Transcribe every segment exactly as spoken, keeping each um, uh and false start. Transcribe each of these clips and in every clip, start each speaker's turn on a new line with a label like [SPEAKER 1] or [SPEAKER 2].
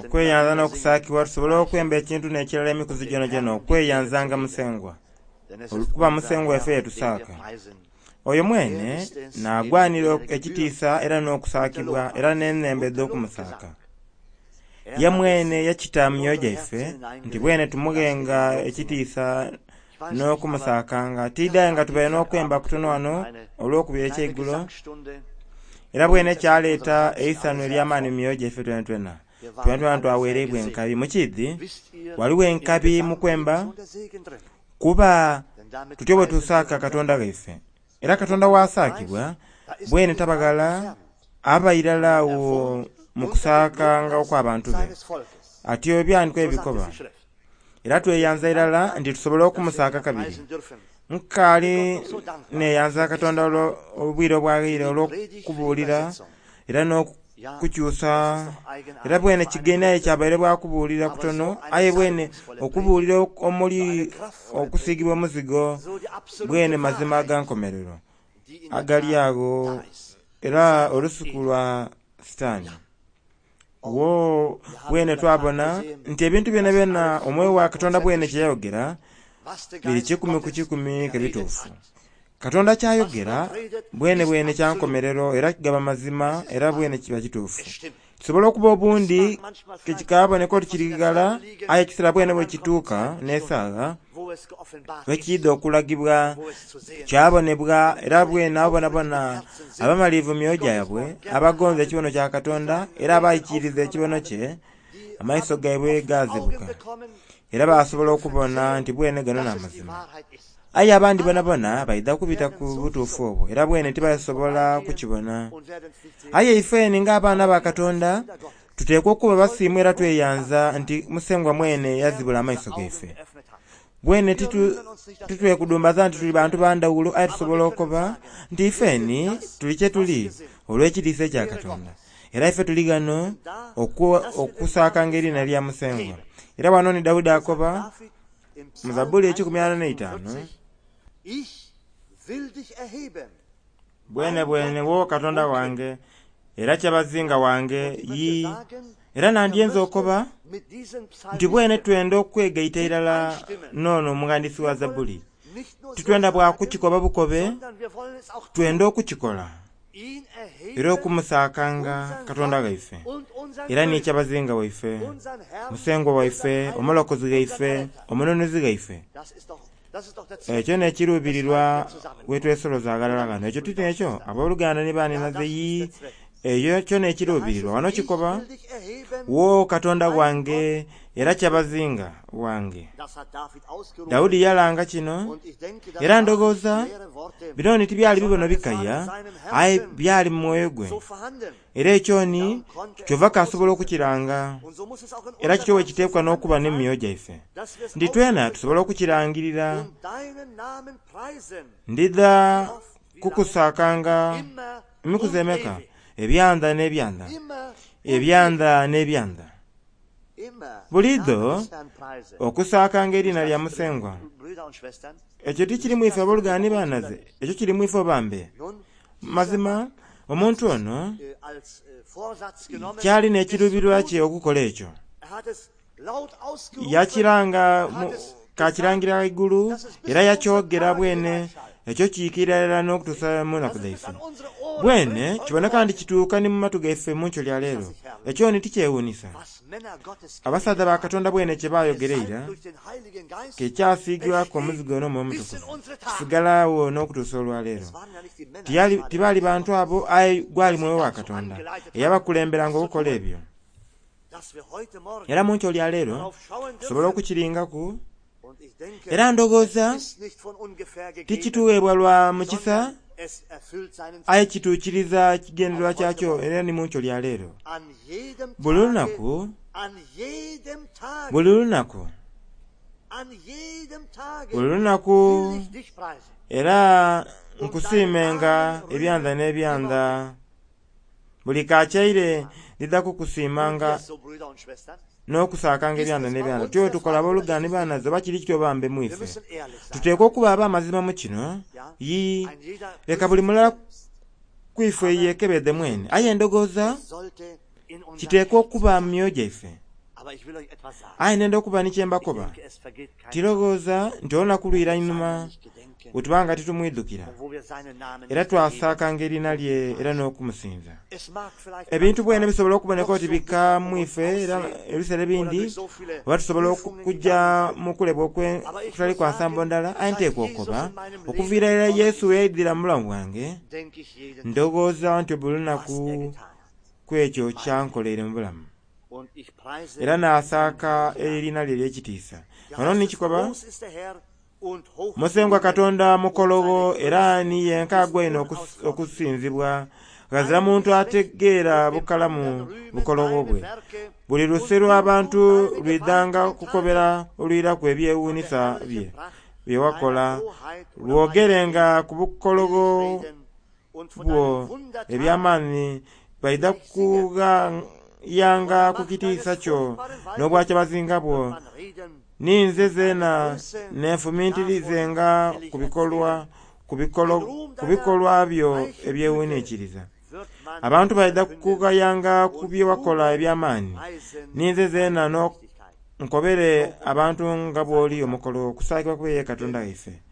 [SPEAKER 1] Okweyanza n'okusaakibwa tusobole okwemba ekintu n'ekirala emikuzi gyonagyona okweyanzanga Musengwa, olw'okuba Musengwa waife yetusaaka. Oyo mwene n'agwanira ekitiisa era n'okusaakibwa era n'enhembo edh'okumusaaka. Ye mwene yakita mu myoyo gyaife nti bwene tumughenga ekitiisa n'okumusaakanga. Tidhaye nga tubaire n'okwemba kutono wano olw'okubira ekyeigulo, era bwene kyaleeta eisanhu ery'amaani mu myoyo gyaife twenatwena. Twenatwena twaweereibwa enkabi. Mukiidhi, waliwo enkabi mu kwemba, kuba tutyo bwe tusaaka Katonda ghaife. Era Katonda wasaakibwa bwene tabaghala aba irala awo mu kusaakanga okw'abantu be. Atyo ebyandikwa ebikoba. Era tweyanza irala nti tusobole okumusaaka kabiri. Nkaali neyanza Katonda obwire obwaghaire olw'okubuulira era n'okukyusa. Era bwene kigenaye kyabaire bwakubuulira kutono, aye bwene okubuulira omuli okusiigibwa omuzigo bwene mazima agankomerero agali ago era olusuku lwa Sitaani. Wo bwene twabona nti ebintu byona byona omwoyo wa Katonda bwene kyeyayogera biri kikumi ku kikumi ke bituufu. Katonda kyayogera bwene bwene kyankomerero era kigaba mazima era bwene kiba kituufu. Kisobola okuba obundi kekikaboneka oti kiri ghala, aye ekiseera bwene bwe kituuka n'esaagha bwekiidha okulagibwa kyabonebwa era bwene abo bonabona abamalivu mu myoyo gyabwe abagonza ekibono kya Katonda era abaikiriza ekibono kye, amaiso gaibwe gazibuka era basobola okubona nti bwene gano n'amazima. Aye abandi bonabona baidha kubita ku butuufu obwo era bwene tibasobola kukibona. Aye ifeni ng'abaana ba Katonda tuteekwa okuba basiimu era tweyanza nti Musengwa mwene yazibula amaiso gaife. Bwene titwekudumbaza nti tuli bantu bandawulo, aye tusobola okuba nti ifeni tuli kye tuli olw'ekitiisa ekya Katonda. Era ife tuli ghano okusaakanga eriina lya Musengwa. Era wano ni Dawudi akoba mu Zabbuli ekikumi ana n'eitaanu, bwene bwene wo Katonda wange era kyabazinga wange yi. Era nandyenza okoba nti bwene twenda okwegaita irala n'ono omughandisi wa Zabbuli. Titwenda bwakukikoba bukobe, twenda okukikola era okumusaakanga Katonda ghaife era ni kyabazinga waife, Musengwa waife, omulokozi ghaife, omununuzi ghaife. Ekyo n'ekiruubirirwa wetwesoloza aghalala ghano. Ekyo titi ekyo abooluganda ni baaninaze yi, ekyo kyo n'ekiruubirirwa. Wano kikoba wo Katonda wange era kyabazinga wange. Dawudi yalanga kino era ndowooza bino ni tibyali bibono bikaya, aye byali mu mwoyo gwe. Era ekyo ni kyova kasobola okukiranga. Era kityo bwe kiteekwa n'okuba n'emyoyo gyaife nti twena tusobola okukirangirira. Ndidha kukusaakanga emikuzi emeka? Ebyanda n'ebyanda, ebyanda n'ebyanda. Buliidho okusaakanga eriina lya Musengwa. Ekyo tikirimu ife abooluganda ni baanaze, ekyo kirimu ife obambe. Mazima omuntu ono kyali n'ekiruubirirwa kye okukola ekyo. Yakiranga kakirangira ghaigulu era yakyogera bwene ekyo kiikirira irala n'okutuusa mu nnaku dhaife. Bwene kiboneka nti kituuka ni mu matu gaife mu nkyo lya leero. Ekyo ni tikyewuunisa. Abasaadha ba Katonda bwene kye baayogera eira ke kyasiigibwaku omuzigo n'Omwoyo Omutukuvu kisigalawo n'okutuusa olwaleero. Tibaali bantu abo, aye gwali mwoyo wa Katonda eyabakulemberanga okukola ebyo. Era mu nkyo lya leero tusobola okukiringaku. Era ndowooza tikituweebwa lwa mukisa, aye kituukiriza kigendererwa kyakyo era ni mu nkyo lya leero. Buli lunaku, buli lunaku, buli lunaku era nkusiimenga ebyanda n'ebyanda. Buli kakyaire ndidha kukusiimanga n'okusaakanga ebyanda n'ebyanda. Tutyo tukola abooluganda ni baanaze oba kiri kityo bambe mwife. Tuteekwa okuba ab'amazima mu kino. Yi leka buli mulala kwife yekebedde mwene. Aye ndowooza Kiteekwa okuba mu myoyo gyaife. Aye nenda okuba ni kyembakoba, tirowooza nti olunaku lwira inhuma bwe tuba nga titumwidhukira era twasaakanga erina lye era n'okumusinza. Ebintu bwene bisobola okuboneka oti bika mu ife era ebiseera ebindi oba tusobola okujja mu kulebwa okutali kwa nsambo ndala. Aye nteekwa okukoba okuviira ira Yesu yaidhira mu bulamu bwange, ndowooza nti buli lunaku ku ekyo kyankoleire mu bulamu era naasaaka erina lye ery'ekitiisa. Ono nikikoba Musengwa Katonda mukologho era ni yenka agwaine okusinzibwa. Ghazira muntu ategeera bukalamu bukologho bwe. Buli luse lw'abantu lwidhanga kukobera olwiraku ebyewuunhisa bye bye wakola, lwogerenga ku bukologho bwo eby'amaani. Baidha kughayanga ku kitiisa kyo n'obwakyabazinga bwo. Ninze zeena nenfumintirizenga ku bikolwa ku bikolwa byo ebyewuninkiriza. Abantu baidha kughayanga ku bye wakola eby'amaani. Ninze zeena nkobere abantu nga bw'oli omukologho, okusaakibwa kube ye Katonda waife.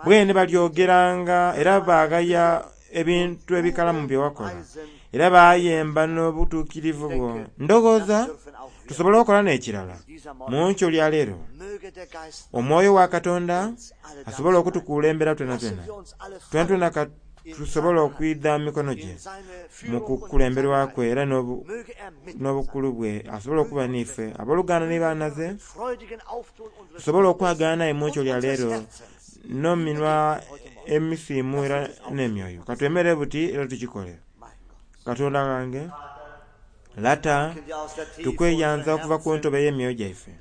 [SPEAKER 1] Bwene balyogeranga era baghaya ebintu ebikalamu bye wakola, era bayemba n'obutuukirivu bwo. Ndowooza tusobola okukola n'ekirala mu nkyo lya leero. Omwoyo wa Katonda asobola okutukulembera twenatwena. Twenatwena tusobola okwidha mu mikono gye mu kukulemberwa kwe era n'obukulu bwe asobola okuba n'ife. Abooluganda ni bannaze tusobola okwagana naye mu nkyo lya leero n'ominwa emisiimu era n'emyoyo. Katwemere buti era tukikole. Katonda wange, Lata, tukweyanza okuva ku ntobo ey'emyoyo gyaife.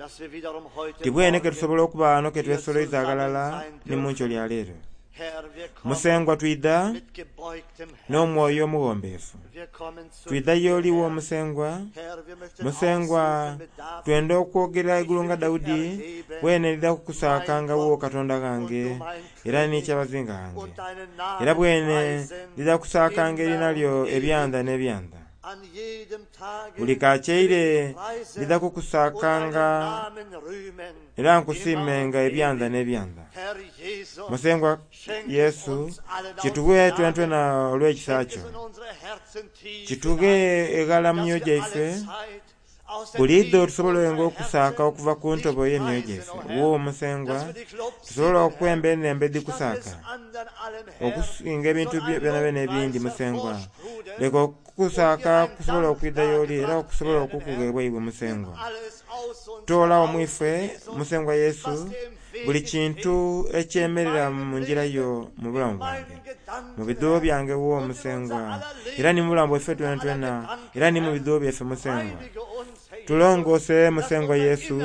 [SPEAKER 1] Tibwene ke tusobola okuba wano ke twesoloiza aghalala ni mu nkyo lya leero. Musengwa twidha n'omwoyo omuwombeefu. Twidha y'oliwo Musengwa. Musengwa twenda okwogera igulu nga Daudi, bwene ndidha kukusaakanga wo Katonda ghange era ni kyabazinga ghange. Era bwene ndidha kusaakanga erina lyo ebyanda n'ebyanda. Buli kakyeire ndidha kukusaakanga era nkusiimenga ebyanda n'ebyanda. Musengwa Yesu, kituwe twenatwena olw'ekisa kyo. Kitughe eghala mu myoyo gyaife, buliidho tusobolenga okusaaka okuva ku ntobo y'emyoyo gyaife. Wo Musengwa, tusobola okwemba enhembo edhikusaaka okusinga ebintu byonabyona ebindi. Musengwa, leka okukusaaka kusobola okwidha y'oli era okusobola okukugheebwa iwe Musengwa. Toolawo mu ife, Musengwa Yesu, buli kintu ekyemerera mu ngira yo mu bulamu bwange, mu bidhuubo byange wo Musengwa, era ni mu bulamu bwaife twenatwena, era ni mu bidhuubo byaife Musengwa. Tulongoose Musengwa Yesu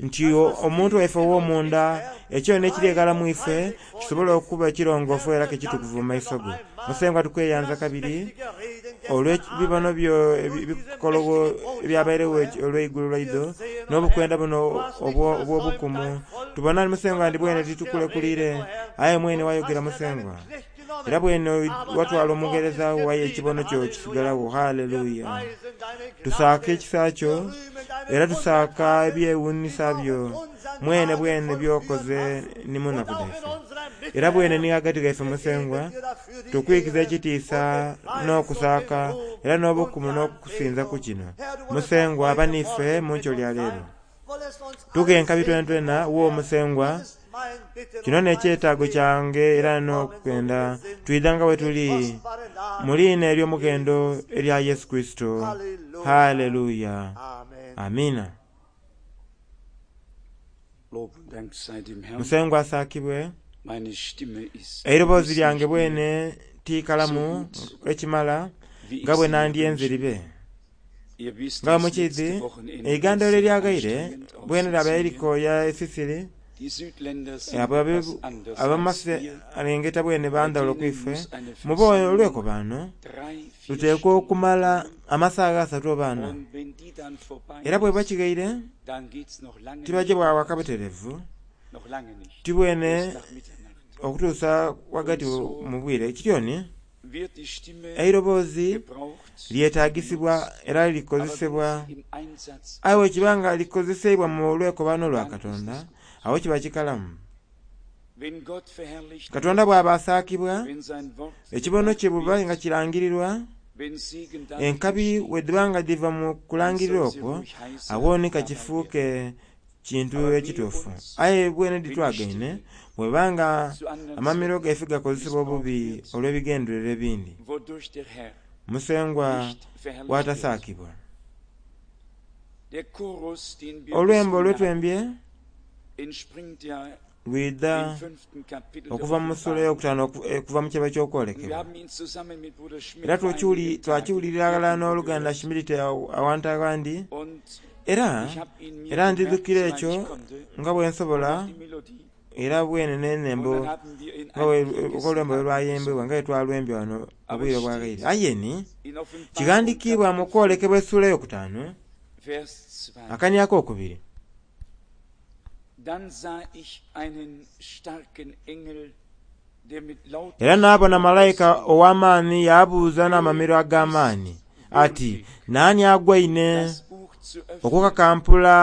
[SPEAKER 1] nti omuntu waife ow'omunda ekyo n'ekiri eghala mu ife kisobola okuba ekirongoofu era kekitukuvu mu maiso go. Musengwa tukweyanza kabiri olw'ebibono byo ebikologo ebyabairegho olw'eigulo lwaidho n'obukwenda buno obw'obukumu. Tubona Musengwa ndi bwene titukulekuliire, aye mwene wayogera Musengwa. Era bwene watwala omugheereza wo, aye ekibono kyo kisigalagho. Haleluya! Tusaaka ekisa kyo era tusaaka ebyewuunhisa byo mwene bwene by'okoze ni mu nnaku dhaife. Era bwene ni ghagati ghaife Musengwa, tukwikiza ekitiisa n'okusaaka era n'obukumu n'okusinza ku kino. Musengwa aba n'ife mu nkyo lya leero. Tughe enkabi twenatwena wo Musengwa, kino n'ekyetaago kyange era n'okwenda twidha nga bwe tuli mu liina ery'omughendo erya Yesu Kurisito. Haleluya! Amiina. Musengwa asaakibwe. Eiroboozi lyange bwene tiikalamu ekimala nga bwe nandyenze libe. Nga bwe mukiidhi, eigandholo eryaghaire bwene lyaba erikooya e Sisiri. Ab'amaserengeta bwene bandhawulo ku ife. Muba olwekobaano luteekwa okumala amasaagha asatu oba ana, era bweba kighaire tibaja bwa waka buterevu, tibwene okutuusa ghagati mu bwire. Kityoni Eiroboozi lyetagisibwa era likozesebwa, aye bwe nga likozeseibwa mu lwekobano lwa Katonda, awo kiba kikalamu. Katonda bw'aba asaakibwa, ekibono kye buba nga kirangirirwa, enkabi bwe nga dhiva mu kulangirira okwo, awo ni kakifuuke kintu ekituufu. Aye bwene ditwagaine bwebanga amamiro gaife gakozesebwa obubi olw'ebigendererwa ebindi, Musengwa bw'atasaakibwa. Olwembo olwetwembye lwidha okuva mu ssuula ey'okutaano okuva mu kyaba ky'okwolekebwa. Era twakiwulirira ghalala n'oluganda Shimiriti awantu aghandi, era era ndidhukira ekyo nga bwe nsobola, era bwene n'enembo nga olwembo bwe lwayembebwa nga bwe twalwembye wano obwire obwaghaire. Aye ni kighandikiibwa mu kwolekebwa essuula ey'okutaano akani ak'okubiri. Era naabona malayika ow'amaani yaabuuza n'amamiro ag'amaani ati, naani agwaine okukakampula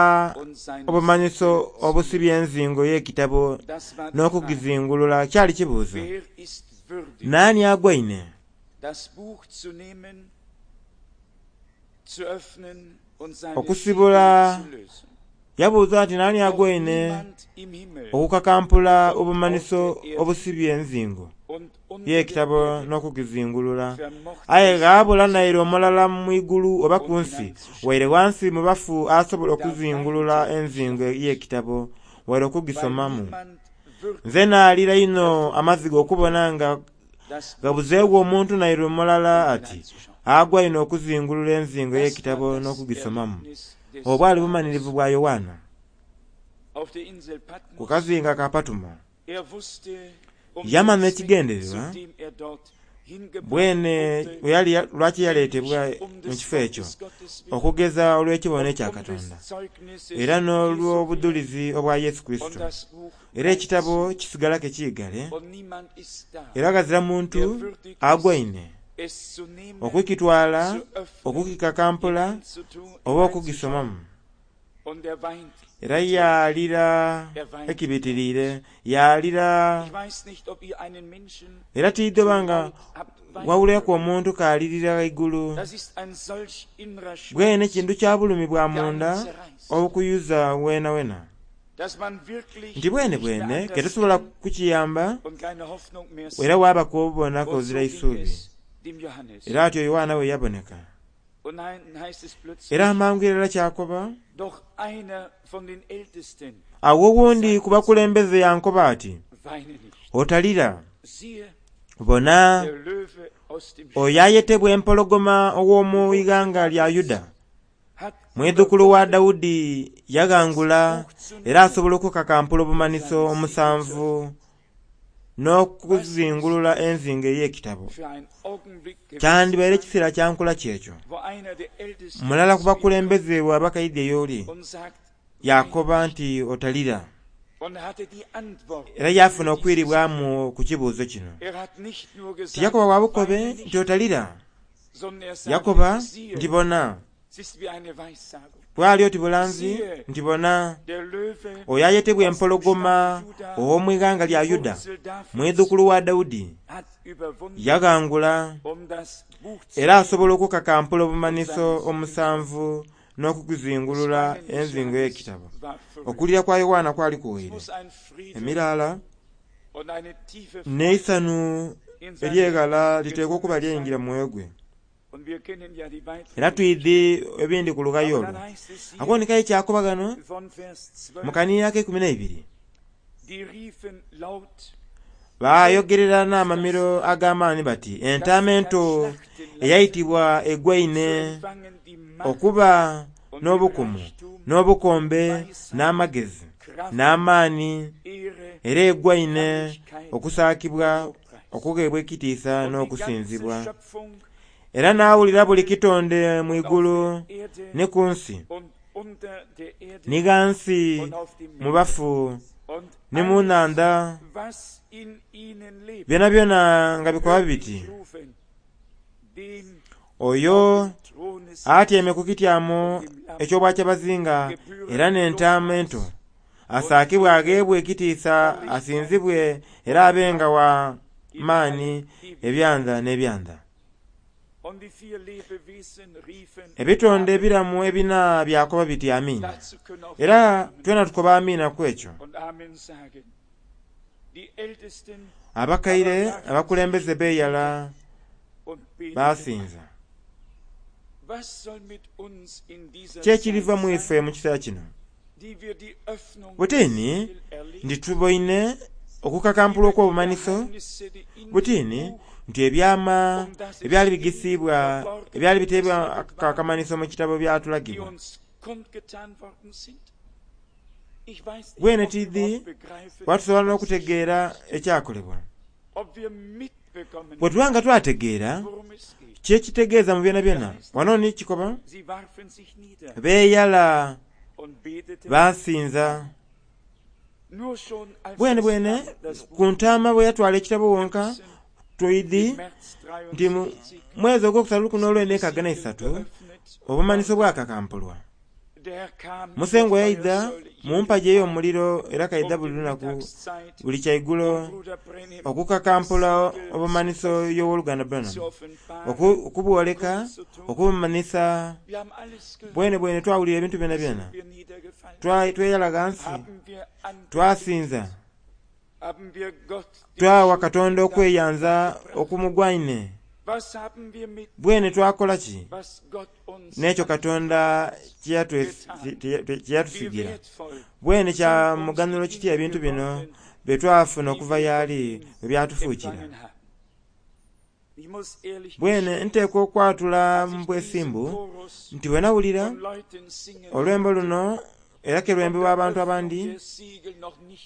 [SPEAKER 1] obumanhiso obusibye enzingo y'ekitabo n'okugizingulula? Kyali kibuuzo. Naani agwaine okusibula? Yabuuza ati naani agwaine okukakampula obumanhiso obusibye enzingo y'ekitabo n'okugizingulula? Aye ghaabula naire omulala mu igulu oba ku nsi, waire ghansi mu bafu asobola okuzingulula enzingo y'ekitabo waire okugisomamu. Nze naalira inho amaziga okubona nga ghabuzeegho omuntu naire omulala ati agwaine okuzingulula enzingo y'ekitabo n'okugisomamu. Obwo bwali bumanhirivu bwa Yoanna ku kazinga ka Patumo. Yamanha ekigendererwa bwene lwaki yaleetebwa mu kifo ekyo, okugeza olw'ekibono ekya Katonda era n'olw'obudhulizi obwa Yesu Kurisito. Era ekitabo kisigala kekiigale, era ghazira muntu agwaine okukitwala, okukikakampula oba okugisomamu. Era yaalira ekibitiriire, yaalira. Era tidhoba nga wawulireku omuntu k'alirira ghaigulu. Bwene kintu kya bulumi bwa munda obukuyuza wenawena, nti bwene bwene ketusobola kukiyamba, era waabaku obubona kozira isuubi. Era atyo Yoanna bwe yaboneka. Era amangu irala kyakoba, awo owundi ku bakulembeze yankoba ati, otalira, bona oyo ayetebwa empologoma ow'omu ighanga lya Yuda, mwidhukulu wa Daudi, yaghangula era asobola okukakampula obumanhiso omusanvu n'okuzingulula enzingo ey'ekitabo. Kyandibaire ekiseera kyankula kyekyo. Mulala ku bakulembeze bw'aba kaidye y'oli, yakoba nti otalira. Era yafuna okwiribwamu ku kibuuzo kino. Tiyakoba bwa bukobe nti otalira, yakoba nti bona. Bwali oti bulanzi nti bona oyo ayetebwa empologoma ow'omu ighanga lya Yuda, mwidhukulu wa Daudi, yaghangula era asobola okukakampula obumanhiso omusanvu n'okugizingulula enzingo y'ekitabo. Okulira kwa Yoanna kwali kuwaire emiraala n'eisanhu ery'eghala liteekwa okuba lyayingira mu mwoyo gwe. Era twidhi ebindi ku lughayo olwo. Akubonekayo ekyakoba ghano mu kanhiriri ak'eikumi n'eibiri, baayogerera n'amamiro ag'amaani bati, entaama ento eyaitibwa egwaine okuba n'obukumu, n'obukombe, n'amagezi, n'amaani, era egwaine okusaakibwa, okugheebwa ekitiisa n'okusinzibwa. Era naawulira buli kitonde mu igulu ni ku nsi, ni ghansi mu bafu ni mu nhandha, byonabyona nga bikoba biti, Oyo atyaime ku kityamo eky'obwakyabazinga era n'Entaama Ento asaakibwe agheebwe ekitiisa asinzibwe era abenga wa maani ebyanda n'ebyanda. Ebitonde ebiramu ebina byakoba biti amiina. Era twena tukoba amiina ku ekyo. Abakaire abakulembeze beeyala basinza. Ki ekiriva mu ife mu kiseera kino? Butini nti tuboine okukakampulwa okw'obumanhiso, butini nti ebyama ebyali bigisiibwa ebyali biteebwa akamanhiso mu kitabo byatulagibwa. Bwene tidhi watusobola n'okutegeera ekyakolebwa. Bwe tuba nga twategeera kyekitegeeza mu byonabyona, wano ni kikoba beeyala basinza. Bwene bwene ku ntaama bwe yatwala ekitabo wonka twidhi nti mu mwezi ogwokusatu lukumi n'olwenda enkaaga na isatu obumanhiso bwakakampulwa. Musengwa yaidha mu mpagi ey'omuliro era kaidha buli lunaku buli kyaigulo okukakampula obumanhiso y'owoluganda Branham, okubwoleka, okubumanhisa. Bwene bwene twawulira ebintu byonabyona, tweyala ghansi, twasinza, twawa Katonda okweyanza okumugwaine. Bwene twakola ki n'ekyo Katonda kye yatusigira? Bwene kya muganhulo kitya ebintu bino bye twafuna okuva y'ali bwe byatufuukira? Bwene nteekwa okwatula mu bwesimbu nti bwe nawulira olwembo luno era ke lwembebwa abantu abandi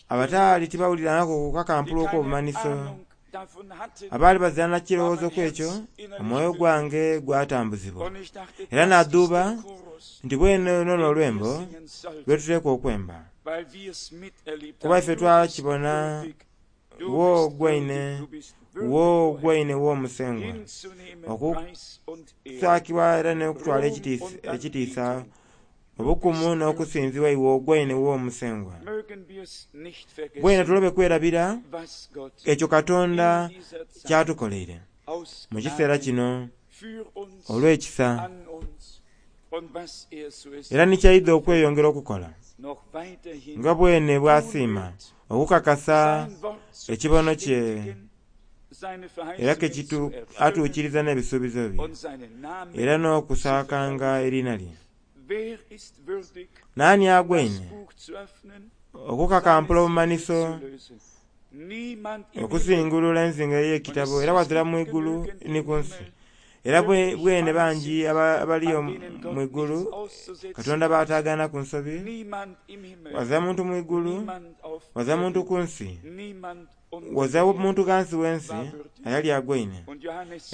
[SPEAKER 1] abataali tibawulirangako ku kakampulwa okw'obumanhiso, abaali bazira na kirowoozo ku ekyo, omwoyo gwange gwatambuzibwa. Era nadhuuba nti bwene luno n'olwembo lwe tuteekwa okwemba, kuba ife twakibona wo gwaine wo gwaine w'omusengwa okusaakibwa era n'okutwala ekitiisa obukumu n'okusinzibwa iwe ogwaine w'omusengwa. Bwene tulobe kwerabira ekyo Katonda kyatukoleire mu kiseera kino olw'ekisa, era ni kyaidha okweyongera okukola nga bwene bw'asiima okukakasa ekibono kye era ke atuukiriza n'ebisuubizo bye era n'okusaakanga eriina lye. Naani agwaine okukakampula obumanhiso, okusingulula enzingo ey'ekitabo, era wazira mu igulu ni ku nsi. Era bwene bangi abaliyo mu igulu Katonda b'ataagaana ku nsobi. Wazira muntu mu igulu, wazira muntu ku nsi, wazira muntu ghansi w'ensi ayali agwaine.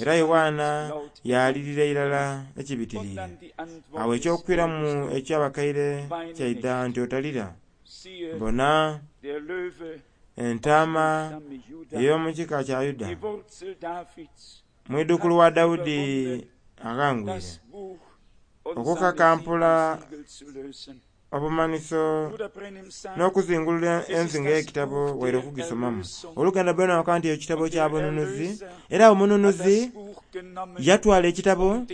[SPEAKER 1] Era Yoanna yalirira irala ekibitiriire. Awo ekyokwiramu eky'abakaire kyaidha nti otalira. Bona entaama ey'omu kika kya Yuda, mwidhukulu wa Dawudi aghangwire okukakampula obumanhiso n'okuzingulula enzingo ey'ekitabo waire okugisomamu. Oluganda Branham akoba nti ekitabo kya bununuzi, era omununuzi yatwala ekitabo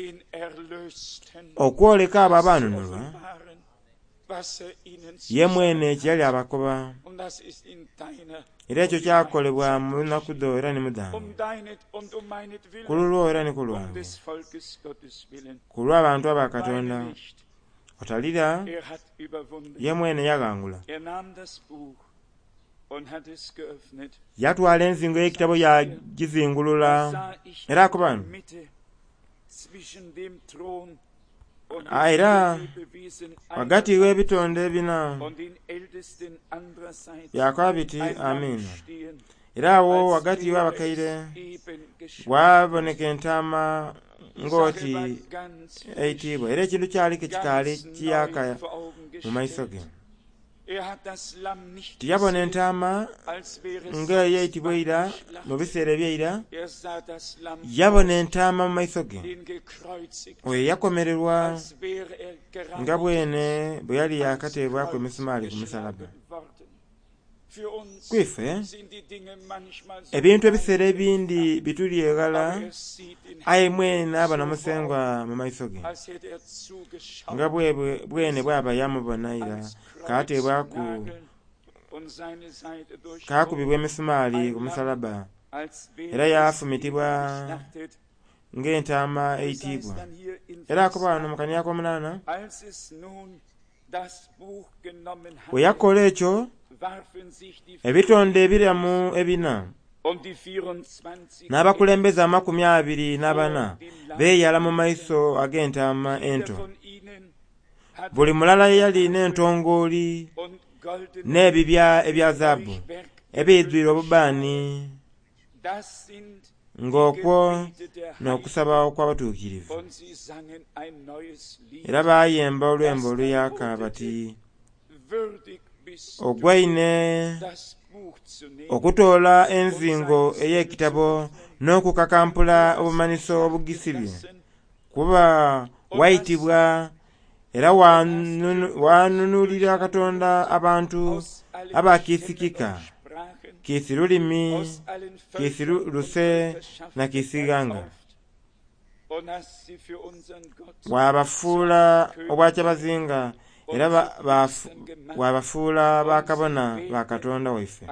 [SPEAKER 1] okwoleka abo abanunulwa ye mwene kye yali abakoba. Era ekyo kyakolebwa mu lunaku dho era ni mu dhange, ku lulwo era ni ku lwange, ku lw'abantu aba Katonda. Otalira, ye mwene yaghangula. Yatwala enzingo ey'ekitabo yagizingulula era akoba era ghagati w'ebitonde ebina byakoba biti amiina. Era awo ghagati w'abakaire waboneka entaama ng'oti eitibwa, era ekintu kyali ke kikaali kiyaka mu maiso ge. Tiyabona entaama nga eyaitibwa eira mu biseera ebyeira, yabona entaama mu maiso ge. Oyo yakomererwa nga bwene bwe yali yakateebwaku emisumaali ku musalaba. Kwife ebintu ebiseera ebindi bituli eghala, aye mwene abona Musengwa mu maiso ge nga bwene bwaba yamubona ira kateebwaku kakubibwa emisumaali ku musalaba era yafumitibwa ng'entaama eitibwa. Era akoba wano mu kania ak'omunaana, bwe yakola ekyo ebitonde ebiramu ebina n'abakulembeze amakumi abiri n'abana beeyala mu maiso ag'entaama ento. Buli mulala yali n'entongooli n'ebibya ebya zaabu ebiidhwire obubaani, ng'okwo n'okusaba okw'abatuukirivu. Era baayemba olwembo oluyaaka bati, ogwaine okutoola enzingo ey'ekitabo n'okukakampula obumanhiso obugisibye, kuba waitibwa era wanunulira Katonda abantu abakiisikika, kiisi lulimi, kiisi luse na kiisi ighanga. Wabafuula obwakyabazinga era wabafuula bakabona ba Katonda waife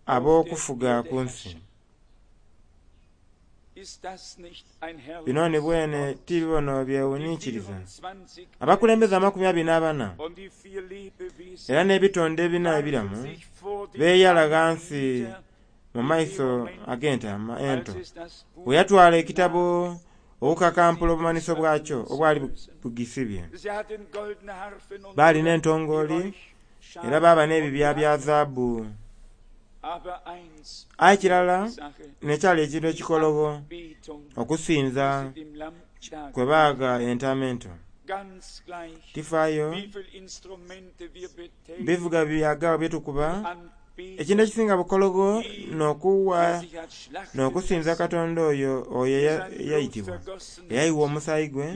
[SPEAKER 1] ab'okufuga ku nsi. Bino ni bwene ti bibono byewuninkiriza. Abakulembeze amakumi abiri n'abana era n'ebitonde ebina ebiramu beeyala ghansi mu maiso ag'entaama ento bwe yatwala ekitabo okukakampula obumanhiso bwakyo obwali bugisibye. Baali n'entongooli era baaba n'ebibya bya zaabu. Aye kirala n'ekyali ekintu ekikologho okusinza kwe baagha entaama ento. Tifaayo bivuga byagawa bye tukuba, ekintu ekisinga bukologho n'okuwa n'okusinza Katonda oyo oyo eyaitibwa, eyayiwa omusaayi gwe,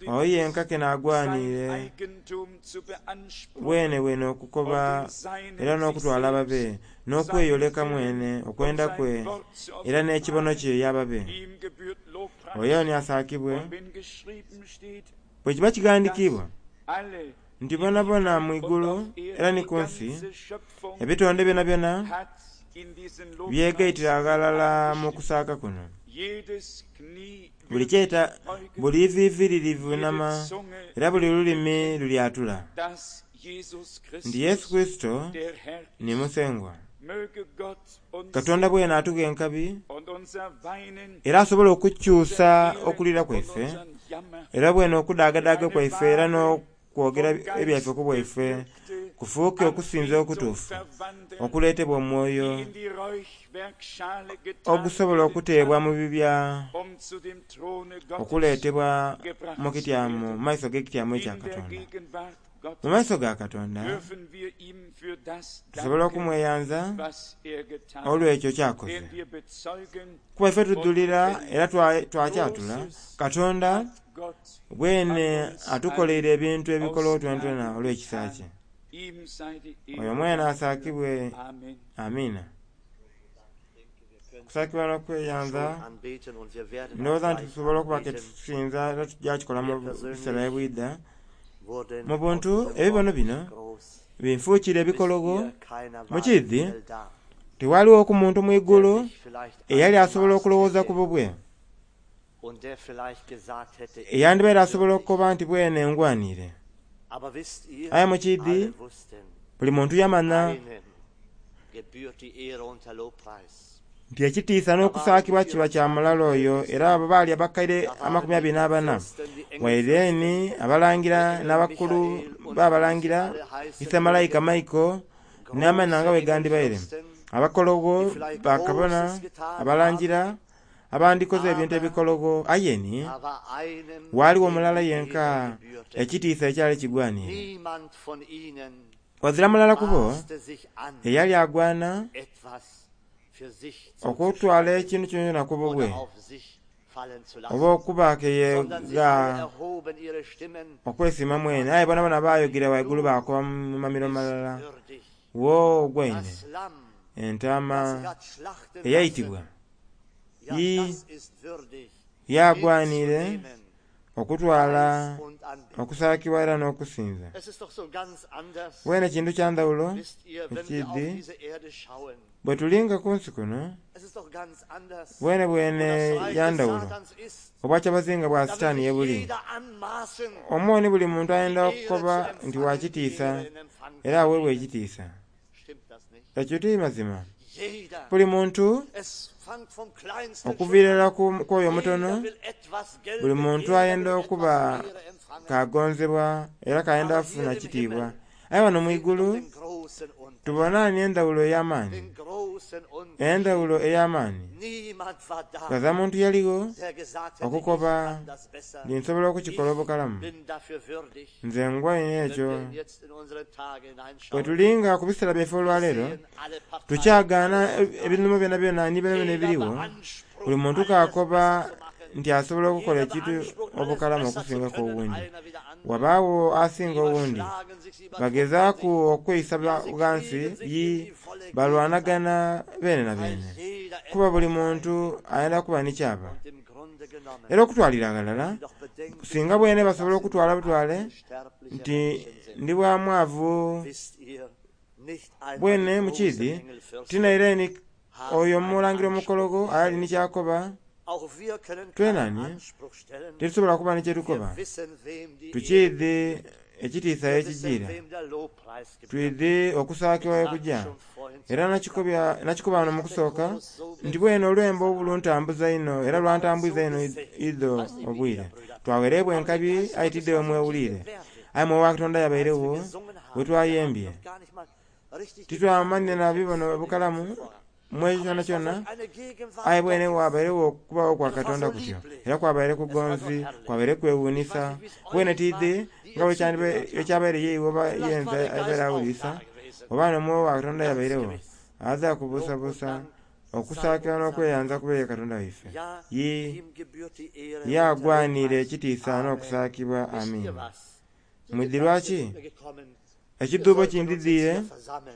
[SPEAKER 1] oyo yenka ke n'agwaniire bwene bwene okukoba era n'okutwala ababe n'okweyoleka mwene okwenda kwe era n'ekibono kye y'ababe. Oyo ni asaakibwe. Bwe kiba kighandikiibwa nti bonabona mu igulu era ni ku nsi ebitonde byonabyona byegaitira aghalala mu kusaaka kuno. Buli kyeta buli iviivi lirivunama era buli lulimi lulyatula nti Yesu Kurisito ni Musengwa. Katonda bwene atugha enkabi era asobola okukyusa okulira kwaife era bwene okudaagadaaga kwaife era n'okwogera ebyaife ku bwaife kufuuke okusinza okutuufu okuleetebwa omwoyo ogusobola okuteebwa mu bibya okuleetebwa mu kityamo mu maiso g'ekityamo ekya Katonda. Mu maiso ga Katonda tusobola okumweyanza olw'ekyo kyakoze, kuba ife tudhulira era twakyatula Katonda bwene atukoleire ebintu ebikologho twenatwena olw'ekisa kye. Oyo mwene asaakibwe. Amiina. Okusaakibwa n'okweyanza, ndowooza nti tusobola okuba ke tusinza era tujja kikola mu biseera ebwidha. Mu buntu ebibono bino binfuukire ebikologho. Mu kiidhi tiwaligho ku muntu mu igulu eyali asobola okulowooza ku bubwe, eyandibaire asobola okukoba nti bwene ngwaniire. Aye mu kiidhi buli muntu yamanha nti ekitiisa n'okusaakibwa kiba kya mulala oyo. Era abo baali abakaire amakumi abiri n'abana, waire ni abalangira n'abakulu b'abalangira, ise malayika Maiko n'amaina nga bwe gandibaire, abakologho, bakabona, abalangira, Abandikoze ebintu
[SPEAKER 2] Aber
[SPEAKER 1] ebikologo ayeni
[SPEAKER 2] da war einem,
[SPEAKER 1] waaliwo
[SPEAKER 2] dem
[SPEAKER 1] mulala
[SPEAKER 2] die
[SPEAKER 1] yenka
[SPEAKER 2] Ehre gebührte.
[SPEAKER 1] ekitiisa ekyali kigwanire.
[SPEAKER 2] Niemand von ihnen
[SPEAKER 1] Wazira mulala ku bo
[SPEAKER 2] maßte sich an,
[SPEAKER 1] eyali agwana
[SPEAKER 2] etwas für sich
[SPEAKER 1] okutwala
[SPEAKER 2] zuzuschreiben
[SPEAKER 1] ekintu kyonkyona ku bubwe
[SPEAKER 2] oder auf sich fallen zu
[SPEAKER 1] oba
[SPEAKER 2] lassen,
[SPEAKER 1] okuba
[SPEAKER 2] sondern sie alle
[SPEAKER 1] keyega
[SPEAKER 2] erhoben ihre Stimmen,
[SPEAKER 1] okwesiima mwene. Aye bonabona baayogera waigulu baakoba mu mamiro
[SPEAKER 2] ist
[SPEAKER 1] malala
[SPEAKER 2] würdig.
[SPEAKER 1] wo ogwaine
[SPEAKER 2] Das Lamm,
[SPEAKER 1] entaama
[SPEAKER 2] das sich hat schlachten lassen,
[SPEAKER 1] eyayitibwa
[SPEAKER 2] ja,
[SPEAKER 1] Yi-
[SPEAKER 2] das ist würdig,
[SPEAKER 1] yagwanire
[SPEAKER 2] hinzunehmen,
[SPEAKER 1] okutwala
[SPEAKER 2] Preis und Anbetung.
[SPEAKER 1] okusaakibwa era n'okusinza.
[SPEAKER 2] Es ist doch so ganz anders,
[SPEAKER 1] Bwene kintu kya ndawulo
[SPEAKER 2] wisst ihr, wenn wir auf
[SPEAKER 1] ekidi
[SPEAKER 2] diese Erde schauen.
[SPEAKER 1] bwe tulinga ku nsi kuno
[SPEAKER 2] Es ist doch ganz anders,
[SPEAKER 1] bwene
[SPEAKER 2] wo
[SPEAKER 1] bwene
[SPEAKER 2] das Reich
[SPEAKER 1] ya
[SPEAKER 2] des
[SPEAKER 1] ndawulo
[SPEAKER 2] Satans ist.
[SPEAKER 1] obwakyabazinga bwa
[SPEAKER 2] Da will
[SPEAKER 1] sitaani
[SPEAKER 2] sich
[SPEAKER 1] ye buli.
[SPEAKER 2] jeder anmaßen,
[SPEAKER 1] Omwoni buli muntu ayenda
[SPEAKER 2] die Ehre
[SPEAKER 1] okukoba
[SPEAKER 2] zu
[SPEAKER 1] nti
[SPEAKER 2] empfangen,
[SPEAKER 1] wa
[SPEAKER 2] die
[SPEAKER 1] kitiisa
[SPEAKER 2] Ehre in Empfang
[SPEAKER 1] era
[SPEAKER 2] zu
[SPEAKER 1] aweebwa
[SPEAKER 2] nehmen.
[SPEAKER 1] ekitiisa.
[SPEAKER 2] Stimmt das nicht?
[SPEAKER 1] Ekyo ti mazima.
[SPEAKER 2] Jeder,
[SPEAKER 1] Buli muntu
[SPEAKER 2] es fängt vom Kleinsten schon
[SPEAKER 1] okuviira
[SPEAKER 2] an.
[SPEAKER 1] ddala ku ku oyo omutono
[SPEAKER 2] Jeder will etwas
[SPEAKER 1] buli
[SPEAKER 2] gelten,
[SPEAKER 1] muntu
[SPEAKER 2] jeder
[SPEAKER 1] ayenda
[SPEAKER 2] will
[SPEAKER 1] okuba
[SPEAKER 2] etwas Ehre empfangen.
[SPEAKER 1] kagonzebwa era kayenda
[SPEAKER 2] Aber
[SPEAKER 1] afuna
[SPEAKER 2] hier im
[SPEAKER 1] kitiibwa.
[SPEAKER 2] Himmel
[SPEAKER 1] Aye wano mu
[SPEAKER 2] sehen wir doch
[SPEAKER 1] igulu
[SPEAKER 2] den großen Unterschied.
[SPEAKER 1] tubona ni endawulo ey'amaanyi
[SPEAKER 2] Den großen Unterschied.
[SPEAKER 1] endawulo ey'amaanyi.
[SPEAKER 2] Niemand war da,
[SPEAKER 1] Kaza muntu yaliwo
[SPEAKER 2] der gesagt hätte, ich
[SPEAKER 1] okukoba
[SPEAKER 2] kann das besser.
[SPEAKER 1] nti nsobola okukikola
[SPEAKER 2] Ich
[SPEAKER 1] obukalamu
[SPEAKER 2] bin dafür würdig.
[SPEAKER 1] nze ngwaine
[SPEAKER 2] Wenn
[SPEAKER 1] ekyo.
[SPEAKER 2] wir jetzt in unsere Tage
[SPEAKER 1] Bwe
[SPEAKER 2] hineinschauen,
[SPEAKER 1] tulinga ku biseera byaffe
[SPEAKER 2] wir
[SPEAKER 1] olwaleero
[SPEAKER 2] sehen alle Parteien,
[SPEAKER 1] tukyagaana
[SPEAKER 2] alles ist da.
[SPEAKER 1] ebinumo byonna byonna ni byonna byonna
[SPEAKER 2] Jeder
[SPEAKER 1] ebiriwo
[SPEAKER 2] beansprucht,
[SPEAKER 1] buli muntu
[SPEAKER 2] alles
[SPEAKER 1] kaakoba
[SPEAKER 2] besser zu machen.
[SPEAKER 1] nti asobola okukola
[SPEAKER 2] Jeder
[SPEAKER 1] ekintu
[SPEAKER 2] beansprucht, alles
[SPEAKER 1] obukalamu
[SPEAKER 2] besser zu
[SPEAKER 1] okusingako
[SPEAKER 2] können,
[SPEAKER 1] owundi.
[SPEAKER 2] einer wie der andere.
[SPEAKER 1] Wabaawo asinga owundi
[SPEAKER 2] Überschlagen sich, sie übertrumpfen
[SPEAKER 1] bagezaaku
[SPEAKER 2] sich.
[SPEAKER 1] okweyisa
[SPEAKER 2] Ja, sie
[SPEAKER 1] ghansi
[SPEAKER 2] kriegen sich
[SPEAKER 1] yi
[SPEAKER 2] in die volle Gegenseitig,
[SPEAKER 1] balwanagana beene na
[SPEAKER 2] weil
[SPEAKER 1] beene
[SPEAKER 2] jeder
[SPEAKER 1] kuba buli
[SPEAKER 2] etwas
[SPEAKER 1] muntu ayenda kuba ni kyaba.
[SPEAKER 2] Und im Grunde genommen,
[SPEAKER 1] Era okutwalira aghalala
[SPEAKER 2] sie doch bedenken,
[SPEAKER 1] singa bwene basobola
[SPEAKER 2] dass sie
[SPEAKER 1] okutwala
[SPEAKER 2] nur
[SPEAKER 1] butwale
[SPEAKER 2] arme, sterbliche
[SPEAKER 1] nti
[SPEAKER 2] Menschen sind.
[SPEAKER 1] ndi bwa mwavu
[SPEAKER 2] Wisst ihr, nicht einmal
[SPEAKER 1] bwene
[SPEAKER 2] die großen
[SPEAKER 1] mukiizi
[SPEAKER 2] Engelfürsten
[SPEAKER 1] tinaire ni
[SPEAKER 2] haben
[SPEAKER 1] oyo
[SPEAKER 2] einen
[SPEAKER 1] omulangira
[SPEAKER 2] Anspruch
[SPEAKER 1] omukologo ayali
[SPEAKER 2] gestellt.
[SPEAKER 1] ni kyakoba
[SPEAKER 2] Auch wir können keinen
[SPEAKER 1] twenani
[SPEAKER 2] Anspruch stellen.
[SPEAKER 1] tetusobola kuba ni
[SPEAKER 2] Wir
[SPEAKER 1] kyetukoba.
[SPEAKER 2] wissen, wem die Ehre
[SPEAKER 1] Tukiidhi ekitiisa
[SPEAKER 2] Wir wissen,
[SPEAKER 1] ekijiira
[SPEAKER 2] wem der Lobpreis gebührt.
[SPEAKER 1] twidhi okusaakibwa
[SPEAKER 2] Ich
[SPEAKER 1] we
[SPEAKER 2] sagte
[SPEAKER 1] kujja
[SPEAKER 2] schon vorhin zu
[SPEAKER 1] era
[SPEAKER 2] Anfang,
[SPEAKER 1] nakikobya nakikoba wano
[SPEAKER 2] mich
[SPEAKER 1] mu
[SPEAKER 2] hat der
[SPEAKER 1] kusooka
[SPEAKER 2] Chorus so
[SPEAKER 1] nti bwene
[SPEAKER 2] bewegt
[SPEAKER 1] olwembo
[SPEAKER 2] gestern
[SPEAKER 1] obu
[SPEAKER 2] Abend
[SPEAKER 1] luntambuza ino era
[SPEAKER 2] und hat
[SPEAKER 1] lwantambuiza
[SPEAKER 2] so
[SPEAKER 1] ino
[SPEAKER 2] gesegnet.
[SPEAKER 1] idho
[SPEAKER 2] Weiß nicht, wie ihr
[SPEAKER 1] obwire.
[SPEAKER 2] Brüder,
[SPEAKER 1] Twawerebwa
[SPEAKER 2] aber der
[SPEAKER 1] enkabi
[SPEAKER 2] Geist Gottes
[SPEAKER 1] ayitiddewo
[SPEAKER 2] war so
[SPEAKER 1] mwewuliire
[SPEAKER 2] gegenwärtig.
[SPEAKER 1] aye mwoyo wa Katonda
[SPEAKER 2] Als wir
[SPEAKER 1] yabairewo
[SPEAKER 2] gesungen
[SPEAKER 1] bwe
[SPEAKER 2] haben, wir haben
[SPEAKER 1] twayembye
[SPEAKER 2] noch gar nicht mal richtig gekannt
[SPEAKER 1] titwamanyire
[SPEAKER 2] den
[SPEAKER 1] na
[SPEAKER 2] Text
[SPEAKER 1] bibono
[SPEAKER 2] von dem
[SPEAKER 1] bukalamu
[SPEAKER 2] zuvor.
[SPEAKER 1] mwekyo
[SPEAKER 2] Aber
[SPEAKER 1] kyona
[SPEAKER 2] es war
[SPEAKER 1] kyonna
[SPEAKER 2] solch eine Gegenwart
[SPEAKER 1] aye bwene
[SPEAKER 2] Gottes.
[SPEAKER 1] wabairewo okubawo kwa
[SPEAKER 2] Es war
[SPEAKER 1] Katonda
[SPEAKER 2] so
[SPEAKER 1] kutyo
[SPEAKER 2] lieblich.
[SPEAKER 1] era kwabaire
[SPEAKER 2] Es war so
[SPEAKER 1] kugonzi
[SPEAKER 2] herrlich.
[SPEAKER 1] kwabaire
[SPEAKER 2] Ich weiß
[SPEAKER 1] kwewuunisa
[SPEAKER 2] nicht, wie es
[SPEAKER 1] bwene
[SPEAKER 2] euch war,
[SPEAKER 1] tidhi
[SPEAKER 2] die
[SPEAKER 1] nga
[SPEAKER 2] ihr
[SPEAKER 1] bwe kyandibe-
[SPEAKER 2] zugehört habt.
[SPEAKER 1] ekyabaire yeiwe oba
[SPEAKER 2] Vielleicht war
[SPEAKER 1] yenze
[SPEAKER 2] der
[SPEAKER 1] abeera
[SPEAKER 2] Geist auch
[SPEAKER 1] awulisa
[SPEAKER 2] da gewesen.
[SPEAKER 1] oba n'omwoyo wa Katonda
[SPEAKER 2] Ganz
[SPEAKER 1] yabairewo
[SPEAKER 2] gewiss.
[SPEAKER 1] aza
[SPEAKER 2] Lob und
[SPEAKER 1] kubuusabuusa
[SPEAKER 2] Dank sei
[SPEAKER 1] okusaakira
[SPEAKER 2] unser
[SPEAKER 1] n'okweyanza
[SPEAKER 2] Gott.
[SPEAKER 1] kubeere Katonda waife.
[SPEAKER 2] Ja,
[SPEAKER 1] Ye
[SPEAKER 2] ihm gebührt die Ehre
[SPEAKER 1] ye
[SPEAKER 2] und der
[SPEAKER 1] agwanira
[SPEAKER 2] Lobpreis.
[SPEAKER 1] ekitiisa
[SPEAKER 2] Amen.
[SPEAKER 1] n'okusaakibwa
[SPEAKER 2] Wisst ihr
[SPEAKER 1] amiina.
[SPEAKER 2] was? Die
[SPEAKER 1] Mwidhi
[SPEAKER 2] Gedanken
[SPEAKER 1] lwaki
[SPEAKER 2] sind mir gekommen. Wir
[SPEAKER 1] ekidduubo
[SPEAKER 2] sollten uns jetzt
[SPEAKER 1] kindidhiire
[SPEAKER 2] hier versammeln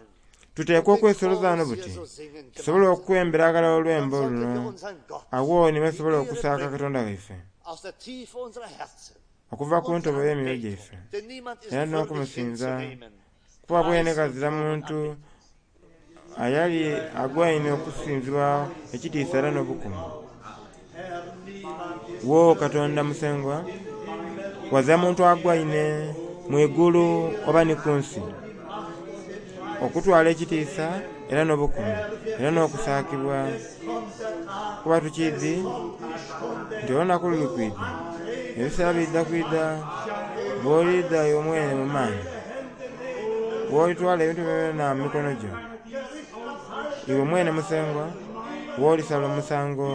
[SPEAKER 1] tuteekwa
[SPEAKER 2] und den
[SPEAKER 1] okwesoloza wano
[SPEAKER 2] Chorus hier
[SPEAKER 1] buti
[SPEAKER 2] so singen
[SPEAKER 1] tusobole
[SPEAKER 2] gemeinsam.
[SPEAKER 1] okukwembera aghalala
[SPEAKER 2] Dann
[SPEAKER 1] olwembo
[SPEAKER 2] sollten wir
[SPEAKER 1] luno
[SPEAKER 2] unseren Gott
[SPEAKER 1] awo ni
[SPEAKER 2] die
[SPEAKER 1] basobola
[SPEAKER 2] Ehre
[SPEAKER 1] okusaaka
[SPEAKER 2] bringen
[SPEAKER 1] Katonda waife
[SPEAKER 2] aus der Tiefe unserer Herzen.
[SPEAKER 1] okuva ku
[SPEAKER 2] Unsere
[SPEAKER 1] ntobo y'emyoyo
[SPEAKER 2] Anbetung,
[SPEAKER 1] gyaife
[SPEAKER 2] denn niemand ist
[SPEAKER 1] era
[SPEAKER 2] würdig
[SPEAKER 1] n'okumusinza
[SPEAKER 2] hinzunehmen.
[SPEAKER 1] kuba bwene
[SPEAKER 2] Preis und
[SPEAKER 1] kazira
[SPEAKER 2] Lob und
[SPEAKER 1] muntu
[SPEAKER 2] Anbetung.
[SPEAKER 1] ayali agwaine okusinzibwa ekitiisa era n'obukumu. Wo Katonda Musengwa wazira muntu agwaine mu igulu oba ni ku nsi okutwala ekitiisa era n'obukumu era n'okusaakibwa kuba tukiidhi nti olunaku luli kwidha ebiseera bidda kwidha bw'olidha iwe mwene mu maanyi bw'olitwala ebintu byona mu mikono gyo iwe mwene Musengwa bw'olisala omusango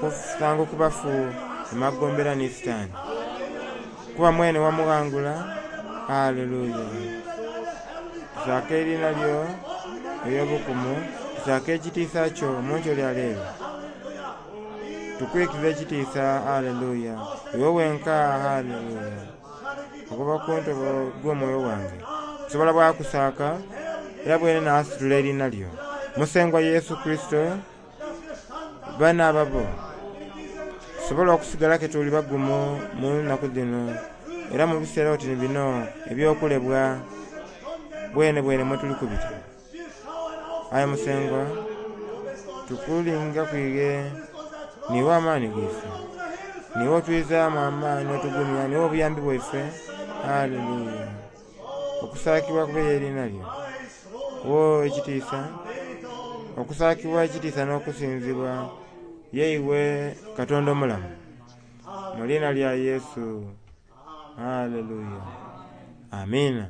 [SPEAKER 1] okusango ku bafu emagombera ni Sitaani kuba mwene wamughangula. Haleluya. Tusaake eriina lyo ery'obukumu tusaake ekitiisa kyo omunkyo lya leero tukwikiza ekitiisa. Haleluya. Iwe wenka. Haleluya. Okuva ku ntobo gw'omwoyo gwange nsobola bwakusaaka era bwene naasitula eriina lyo Musengwa Yesu Kristo bana ababo tusobole okusigala ke tuli bagumu mu nnaku dhino era mu biseera oti ni bino eby'okulebwa bwene bwene mwe tuli kubita. Aye Musengwa tukulinga kwige niiwe amaani gaife niiwe otwizaamu amaani otugumya niiwe obuyambi bwaife. Haleluya. Okusaakibwa kubeere eriina lyo wo ekitiisa okusaakibwa ekitiisa n'okusinzibwa yeiwe Katonda omulamu mu liina lya Yesu. Haleluya. Amiina.